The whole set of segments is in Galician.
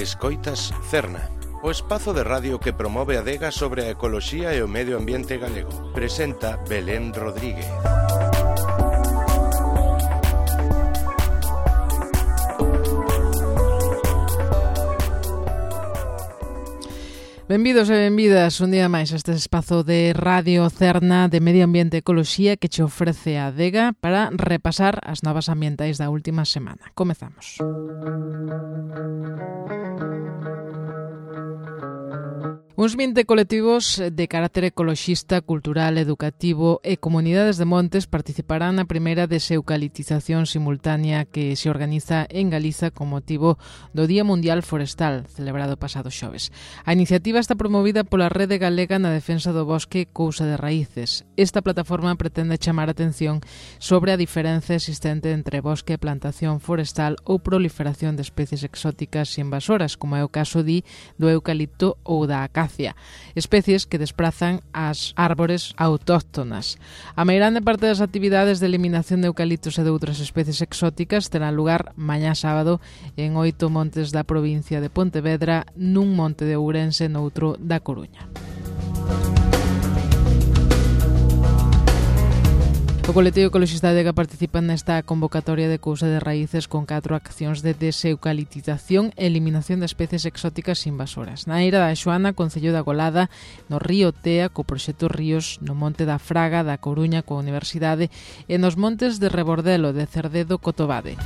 Escoitas Cerna, o espazo de radio que promove a adega sobre a ecoloxía e o medio ambiente galego. Presenta Belén Rodríguez. Benvidos e benvidas un día máis a este espazo de Radio Cerna de Medio Ambiente e Ecoloxía que che ofrece a adega para repasar as novas ambientais da última semana. Comezamos. Uns 20 colectivos de carácter ecoloxista, cultural, educativo e comunidades de montes participarán na primeira deseucaliptización simultánea que se organiza en Galiza con motivo do Día Mundial Forestal, celebrado pasado xoves. A iniciativa está promovida pola Rede Galega na Defensa do Bosque Cousa de Raíces. Esta plataforma pretende chamar a atención sobre a diferenza existente entre bosque e plantación forestal ou proliferación de especies exóticas e invasoras, como é o caso do eucalipto ou da acacia, especies que desprazan as árbores autóctonas. A meirande parte das actividades de eliminación de eucaliptos e de outras especies exóticas terán lugar mañá sábado en 8 montes da provincia de Pontevedra, nun monte de Ourense e noutro da Coruña. O colectivo ecoloxista Adega participa nesta convocatoria de Cousa de Raíces con 4 accións de deseucaliptización e eliminación de especies exóticas invasoras. Na Eira da Xoana, concello da Golada, no río Tea, co proxecto Ríos, no monte da Fraga, da Coruña, coa Universidade, e nos montes de Rebordelo, de Cerdedo, Cotobade.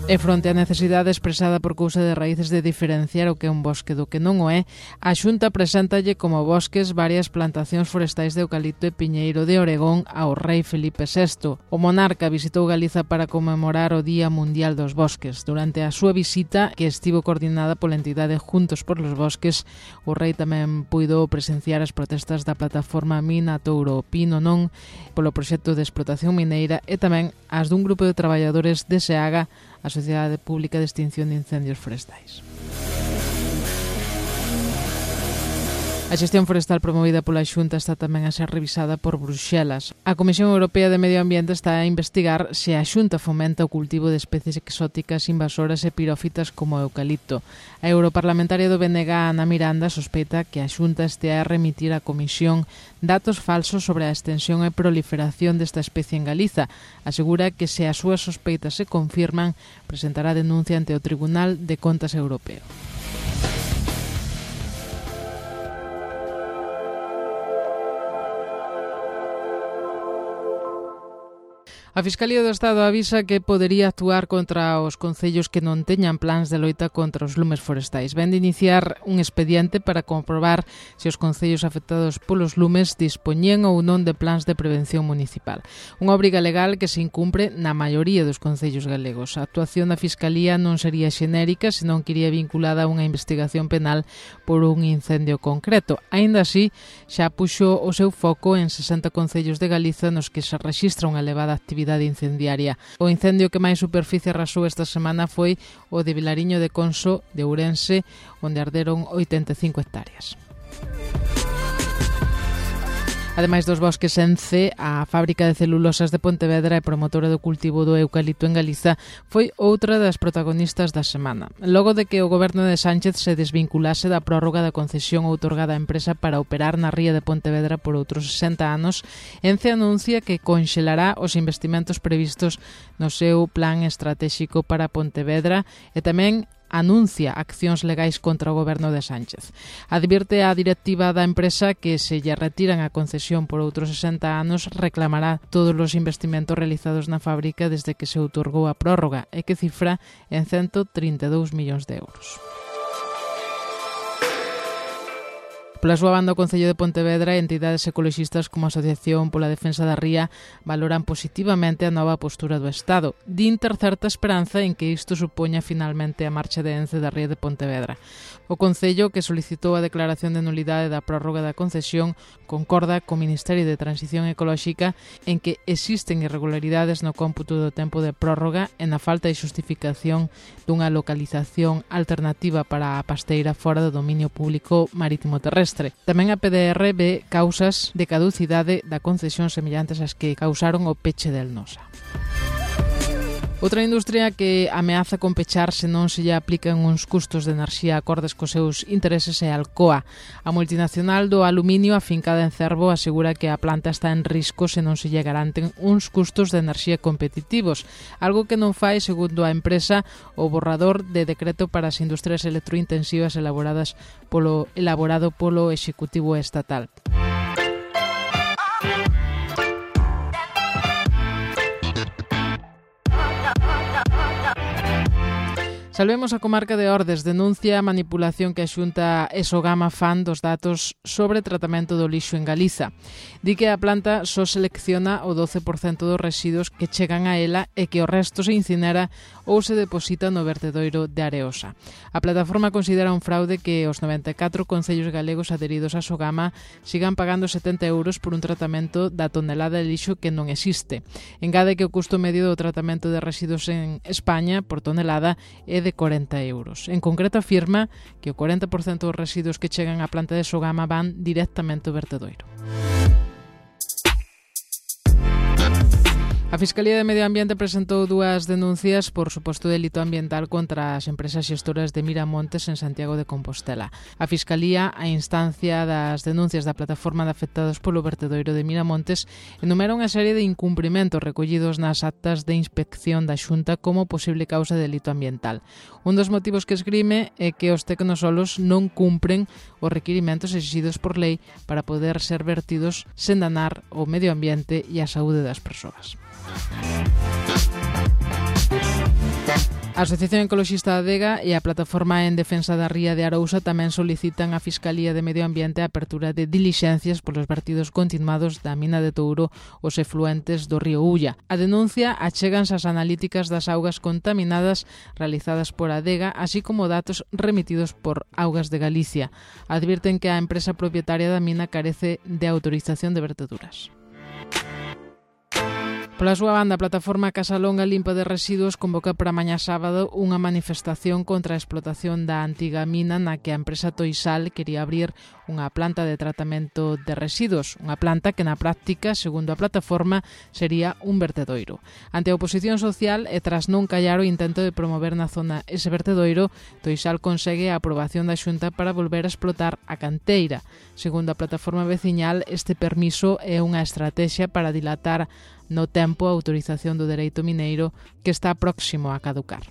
E fronte á necesidade expresada por Cousa de Raíces de diferenciar o que é un bosque do que non o é, a Xunta preséntalle como bosques varias plantacións forestais de eucalipto e piñeiro de Oregón ao rei Felipe VI. O monarca visitou Galiza para conmemorar o Día Mundial dos Bosques. Durante a súa visita, que estivo coordinada pola entidade Juntos por los Bosques, o rei tamén puido presenciar as protestas da plataforma Mina Touro Pino Non polo proxecto de explotación mineira e tamén as dun grupo de traballadores de SEAGA, a Sociedade Pública de Extinción de Incendios Forestais. A xestión forestal promovida pola Xunta está tamén a ser revisada por Bruxelas. A Comisión Europea de Medio Ambiente está a investigar se a Xunta fomenta o cultivo de especies exóticas invasoras e pirófitas como o eucalipto. A europarlamentaria do BNG, Ana Miranda, sospeita que a Xunta estea a remitir á Comisión datos falsos sobre a extensión e proliferación desta especie en Galiza. Asegura que se as súas sospeitas se confirman, presentará denuncia ante o Tribunal de Contas Europeo. A Fiscalía do Estado avisa que podería actuar contra os concellos que non teñan plans de loita contra os lumes forestais. Ven de iniciar un expediente para comprobar se os concellos afectados polos lumes dispoñían ou non de plans de prevención municipal. Unha obriga legal que se incumpre na maioría dos concellos galegos. A actuación da Fiscalía non sería xenérica, senón que iría vinculada a unha investigación penal por un incendio concreto. Aínda así, xa puxo o seu foco en 60 concellos de Galiza nos que se rexistra unha elevada actividade incendiaria. O incendio que máis superficie arrasou esta semana foi o de Vilariño de Conso, de Ourense, onde arderon 85 hectáreas. Ademais dos bosques ENCE, a fábrica de celulosas de Pontevedra e promotora do cultivo do eucalipto en Galiza foi outra das protagonistas da semana. Logo de que o goberno de Sánchez se desvinculase da prórroga da concesión outorgada á empresa para operar na ría de Pontevedra por outros 60 anos, ENCE anuncia que conxelará os investimentos previstos no seu plan estratéxico para Pontevedra e tamén anuncia accións legais contra o goberno de Sánchez. Advirte a directiva da empresa que se lle retiran a concesión por outros 60 anos reclamará todos os investimentos realizados na fábrica desde que se outorgou a prórroga e que cifra en 132 millóns de euros. Pola súa banda, o Concello de Pontevedra e entidades ecoloxistas como a Asociación pola Defensa da Ría valoran positivamente a nova postura do Estado. Din ter certa esperanza en que isto supoña finalmente a marcha de ENCE da Ría de Pontevedra. O Concello, que solicitou a declaración de nulidade da prórroga da concesión, concorda co Ministerio de Transición Ecolóxica en que existen irregularidades no cómputo do tempo de prórroga e na falta de xustificación dunha localización alternativa para a pasteira fora do dominio público marítimo terrestre. Tamén a PDR ve causas de caducidade da concesión semellantes ás que causaron o peche del Nosa. Outra industria que ameaza con pechar se non se lle aplican uns custos de enerxía acordes cos seus intereses é Alcoa. A multinacional do aluminio afincada en Cervo asegura que a planta está en risco se non se lle garanten uns custos de enerxía competitivos, algo que non fai, segundo a empresa, o borrador de decreto para as industrias electrointensivas elaborado polo Executivo Estatal. Salvemos a comarca de Ordes, denuncia a manipulación que a Xunta Esogama fan dos datos sobre tratamento do lixo en Galiza. Di que a planta só selecciona o 12% dos residuos que chegan a ela e que o resto se incinera ou se deposita no vertedoiro de Areosa. A plataforma considera un fraude que os 94 concellos galegos adheridos a Sogama sigan pagando 70 euros por un tratamento da tonelada de lixo que non existe. Engade que o custo medio do tratamento de residuos en España por tonelada é de 40 euros. En concreto afirma que o 40% dos residuos que chegan á planta de Sogama van directamente ao vertedoiro. A Fiscalía de Medio Ambiente presentou dúas denuncias por suposto delito ambiental contra as empresas xestoras de Miramontes en Santiago de Compostela. A Fiscalía, a instancia das denuncias da plataforma de afectados polo vertedoiro de Miramontes, enumera unha serie de incumprimentos recollidos nas actas de inspección da Xunta como posible causa de delito ambiental. Un dos motivos que esgrime é que os tecnosolos non cumpren os requirimentos exigidos por lei para poder ser vertidos sen danar o medio ambiente e a saúde das persoas. A Asociación Ecoloxista Adega e a Plataforma en Defensa da Ría de Arousa tamén solicitan á Fiscalía de Medio Ambiente a apertura de dilixencias polos vertidos continuados da mina de Touro os efluentes do río Ulla. A denuncia achéganse as analíticas das augas contaminadas realizadas por Adega, así como datos remitidos por Augas de Galicia. Advirten que a empresa propietaria da mina carece de autorización de verteduras. Pola súa banda, a plataforma Casalonga Limpa de Residuos convoca para mañá sábado unha manifestación contra a explotación da antiga mina na que a empresa Toisal quería abrir unha planta de tratamento de residuos, unha planta que na práctica, segundo a plataforma, sería un vertedoiro. Ante a oposición social e tras non callar o intento de promover na zona ese vertedoiro, Toisal consegue a aprobación da Xunta para volver a explotar a canteira. Segundo a plataforma veciñal, este permiso é unha estrategia para dilatar no tempo a autorización do dereito mineiro que está próximo a caducar.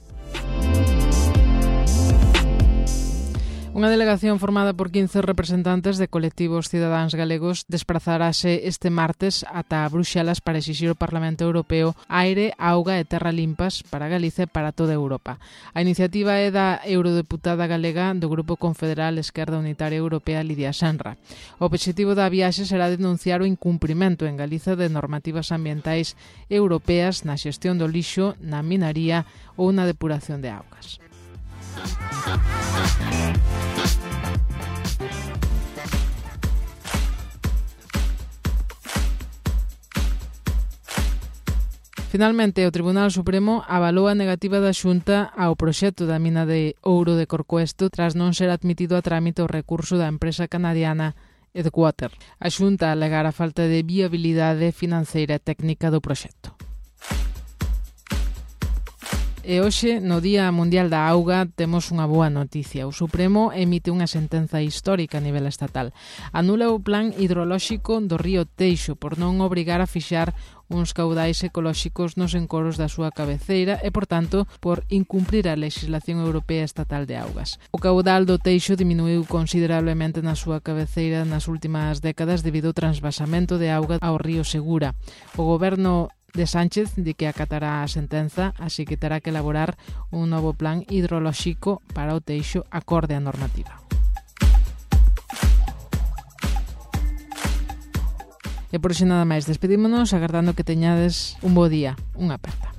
Unha delegación formada por 15 representantes de colectivos cidadáns galegos desplazarase este martes ata Bruxelas para exixir ao Parlamento Europeo aire, auga e terra limpas para Galicia e para toda Europa. A iniciativa é da eurodeputada galega do Grupo Confederal Esquerda Unitaria Europea Lidia Senra. O obxectivo da viaxe será denunciar o incumprimento en Galiza de normativas ambientais europeas na xestión do lixo, na minaría ou na depuración de augas. Finalmente, o Tribunal Supremo avalou a negativa da Xunta ao proxecto da mina de ouro de Corcoesto tras non ser admitido a trámite o recurso da empresa canadiana Edgewater. A Xunta alegara a falta de viabilidade financeira e técnica do proxecto. E hoxe, no Día Mundial da Auga, temos unha boa noticia. O Supremo emite unha sentenza histórica a nivel estatal. Anula o plan hidrolóxico do río Teixo por non obrigar a fixar uns caudais ecolóxicos nos encoros da súa cabeceira e, por tanto, por incumprir a legislación europea estatal de augas. O caudal do Teixo diminuiu considerablemente na súa cabeceira nas últimas décadas debido ao transvasamento de auga ao río Segura. O goberno de Sánchez di que acatará a sentenza, así que terá que elaborar un novo plan hidrolóxico para o Teixo acorde á normativa. E por iso nada máis, despedímonos agardando que teñades un bo día. Unha aperta.